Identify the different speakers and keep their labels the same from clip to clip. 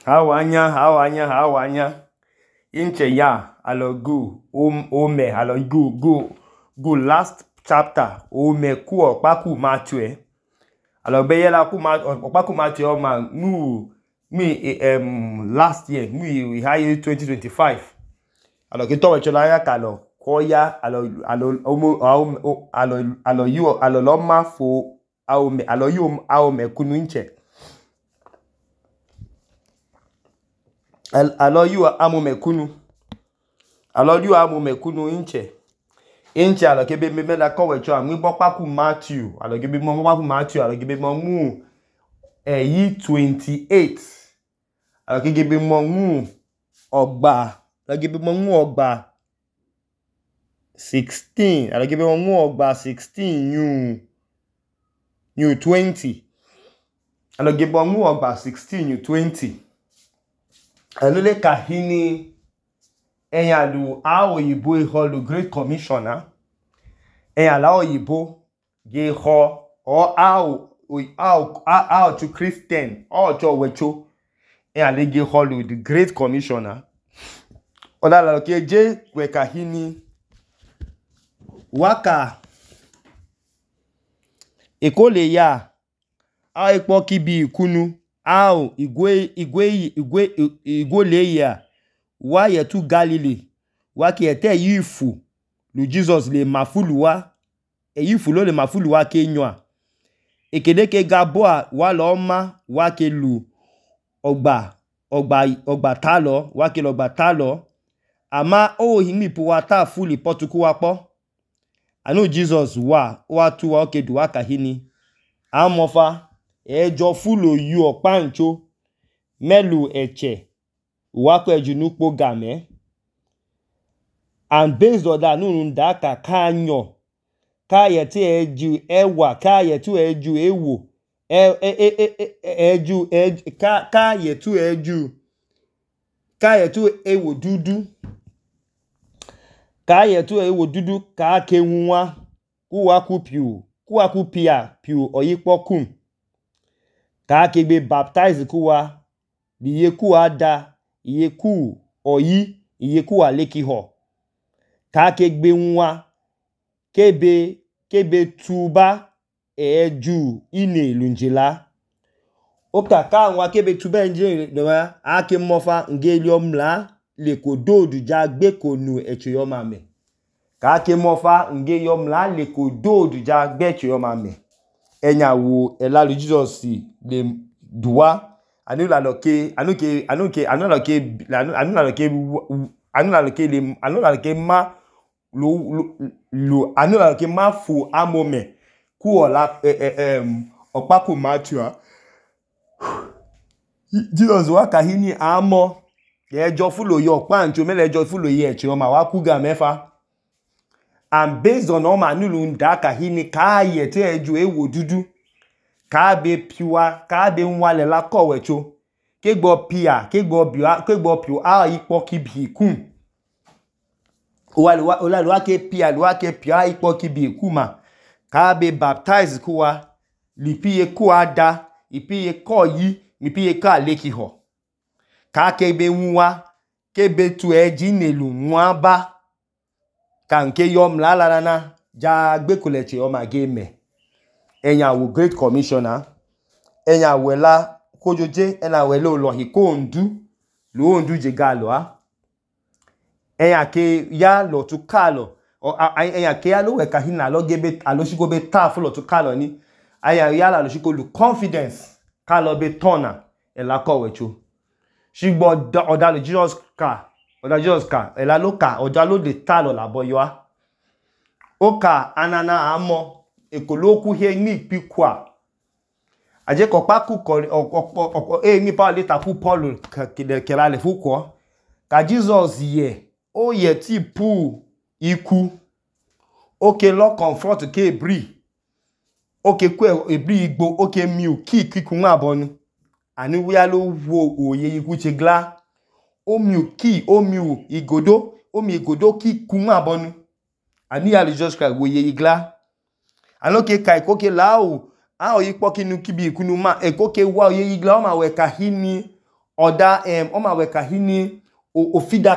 Speaker 1: Hawanya. Inche ya, alo ome, alo go last chapter, ome ku okpaku Matthew. Alo be yela okpaku Matthew oma last year, we high 2025. Alo ke towe chola ya kalo koya alo lo ma fo alo yu ome kunu inche. Alo yu amome kunu inche. Inche alo ke be la kowe cho ami okpaku Matthew, alo ke be mo okpaku Matthew, alo ke be mo mu yi 28. Alo ke be mo mu ogba, alo ke be mo mu ogba 16, alo ke be mo mu ogba 16 new 20. Alo ke be mo mu ogba 16 new 20. Alo le kahini enyalu oyibo iholu Great Commissioner. Enyala oyibo ge ho how to Christian, how to wecho. Enyale ge holu the Great Commissioner. Ola la ke je we kahini waka ekole ya ekpo kibi ikunu igwe ya wa yetu Galilee wa ki ete yifu lu Jesus le mafulu wa yifu lo le mafulu wa ke nyoa ekede ke gaboa wa lo ma wa ke lu ogba talo wa ke ogba talo ama himipu wa ta fuli potuku wa po anu Jesus wa tu wa ke du wa kahini amofa ejo fulo yu opancho melu eche wa ko ejunukpo game. And based on that nunu da ka anyo ka yeti eju ewa ka yetu eju ewo ka yetu ewo dudu ka ke nwa ku wa ku piu oyikpo kum ka ke be baptize ku wa biye ku ada iye ku oyi iye ku aleki ho ka ke gbe nwa kebe tuba eju ine lunjila oka ka nwa kebe tuba enje nwa ake mofa ngeli omla le kododu ja gbe konu echoyo mame ka ke mofa nge yomla le kododu ja gbe echoyo mame enya wo elalu Jesus le duwa anu la ke ma fu amome ku ola okpaku Matthew. Jesus wa kahini amo ejo fulo yo pancho mele ejo fulo ye echo ma wa kuga mefa. And based on all manulu nda kahini ka yete ejo ewo dudu ka be piwa ka be nwale la kowecho kegbo piu ipo kibi kum ola ke pia ipo kibi kuma ka be baptize kuwa lipiye ku ada ipiye ko yi ipiye ka leki ho ka ke be nwa ke be tu eji nelu nwa ba ka nke yom la na ja gbe kuleche o ma game enya wo Great Commissioner enya wo la kojoje ena we lo hiko ndu je galo enya ke ya lo tu kalo enya ke ya lo we kahina lo gebe aloshiko be ta fulo tu kalo ni enya ya la loshiko lu confidence kalo be tona ela kowecho shigbo odalu Jesus ka ela lo ka odalu de talo la boyoa oka anana amo ekoloku he ni pikwa aje ko paku ni pa le tapu Paul ke la le fuko ka Jesus ye o ye ti pu iku oke lo comfort ke ebri oke ku ebri igbo oke mi ki nwa bonu ani wi alo wo oye iku che gla o mi igodo ki ku nwa bonu ani ya Jesus Christ wo ye igla anoke kai koke lao yipo kinu kibi ikunu ma ekoke wa ye igla o ma we kahini Oda oma weka hini ofida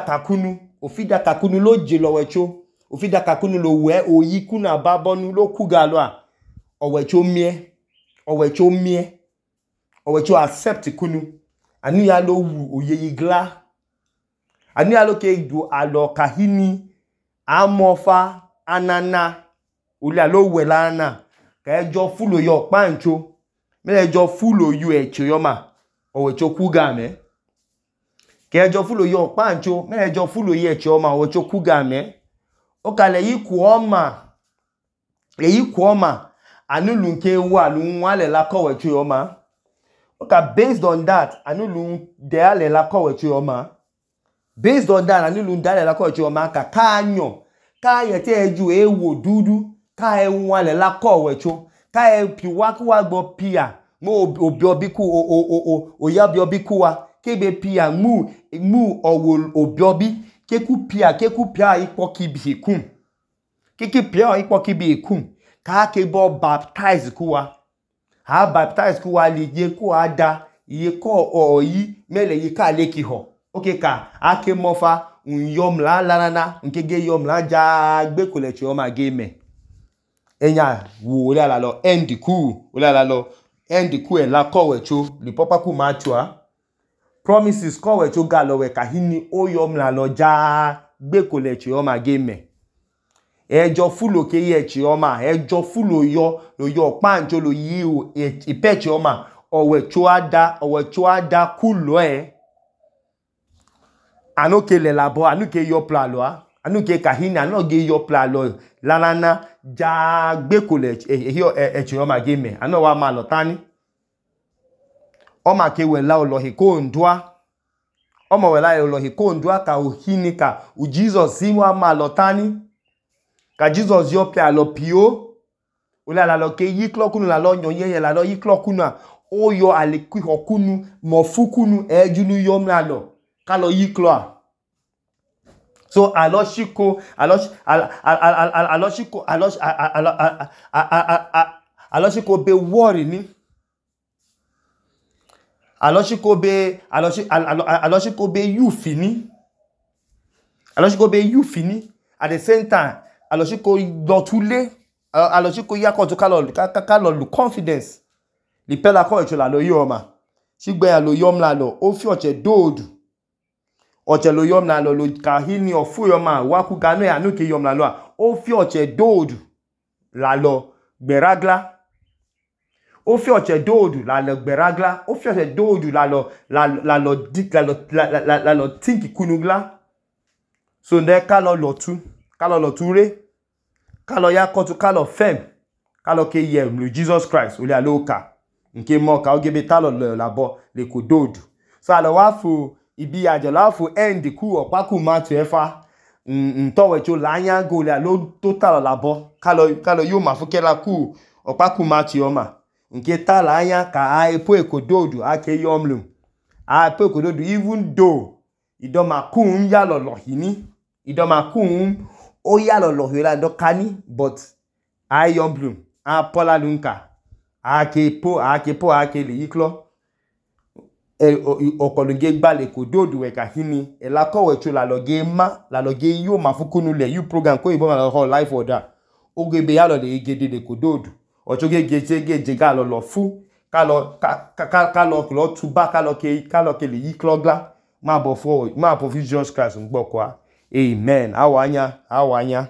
Speaker 1: kakunu lo je lowecho. Ofida kakunu lo we oyi kunu ababonu lo kugalo a. Owecho mie. Owecho accept kunu. Anu ya lo wu oyeyi gla. Anu ya lo ke du alo kahini amofa anana. Uli alo we la na. Ka ejo fulo yo pancho. Me ejo fulo yu eche yoma. Owecho kuga me. Ka ejo fulo yo pancho. Me ejo fulo ye eche yoma. Owecho kuga me. Oka le yi kuoma. Anu lunke wa lunwa le la kowecho yoma. Oka based on that. Anu lun de le la kowecho yoma. Based on that, anu lun de le la kowecho yoma. Ka anyo. Ka yete eju ewo dudu. Ka enwa le la kowecho. Ka piwa kuwa gbo pia. Mo obiobiku oyabiobiku wa. Kebe pia mu obiobi. Keku pia ikpo kibi kum. Kiki pia ikpo kibi kum. Ka kebo baptize kuwa. Ha baptize kuwa liye kuwa da. Iye ko oyi mele yi ka leki ho. Okay ka ake mofa unyom la lanana. Nkege yom la jagbe kuleche yoma game. Enya wu ole ala lo end ku. Ole ala lo end ku la kowecho. Li popa ku machua. Promises kowecho galo we kahini oyom la lo jagbe kuleche yoma game. Ejo fulo ke ye eche yoma. Ejo fulo yo pancho lo yi ipeche yoma. Owecho ada kulo Anu ke le labo. Anu ke yo plalo a. Anu ke kahini. Anu ke yo plalo. Lanana jagbe kuleche eche yoma game. Anu wa malo tani. Oma ke wela olohi ko ndwa. Oma wela olohi ko ndwa ka uhini ka u Jesus si wa malo tani. Ka Jesus yo pe alo pio. Ule ala lo ke yiklo kunu la lo nyonye la lo yiklo kunu. Oyo alekwi hokunu. Mofu kunu ejunu yom la lo. Ka lo yiklo a. So aloshiko be worry ni. Aloshiko be you fini. Aloshiko be you fini. At the same time, aloshiko dotule. Aloshiko yakoto kalo lu confidence. Li pela ko echo la lo yoma. Shigbe ya lo yom la lo. Ofi oche dodu. Oche lo yom la lo kahini ofu yoma. Waku gano ya nuke yom la lo. Ofi oche dodu. La lo beragla. Ofi oche dodu la lo beragla. Ofi oche dodu la lo tinki kunugla. So nde kalo lotu re. Kalo yakoto kalo fem. Kalo ke yem lu Jesus Christ. Uli aloka. Nke moka ogebe talo labo le kudodu. So alo wafu ibi ajelo wafu end ku opaku matu efa. Ntowecho lanya go le alo total labo. Kalo yo mafuke la ku opaku matu yoma. Nke tala anya ka aepo ekododu ake yomlu. Aepo ekododu even though idoma kun ya lolohini. Idoma kun o ya lolohira ndokani but ayomlu. Apola lunka. Ake le yiklo. Okolunge gba le kododu weka hini. Elako wecho la loge ma. La loge yo mafukunu le. You program ko ibo ma lo life order. Ogebe ya lo le igede le kododu. Ochoge geje ga lo fu. Kalo klo tuba. Kalo ke le yiklo gla. Ma bo Jesus Christ ngbo kwa. Amen. Awanya.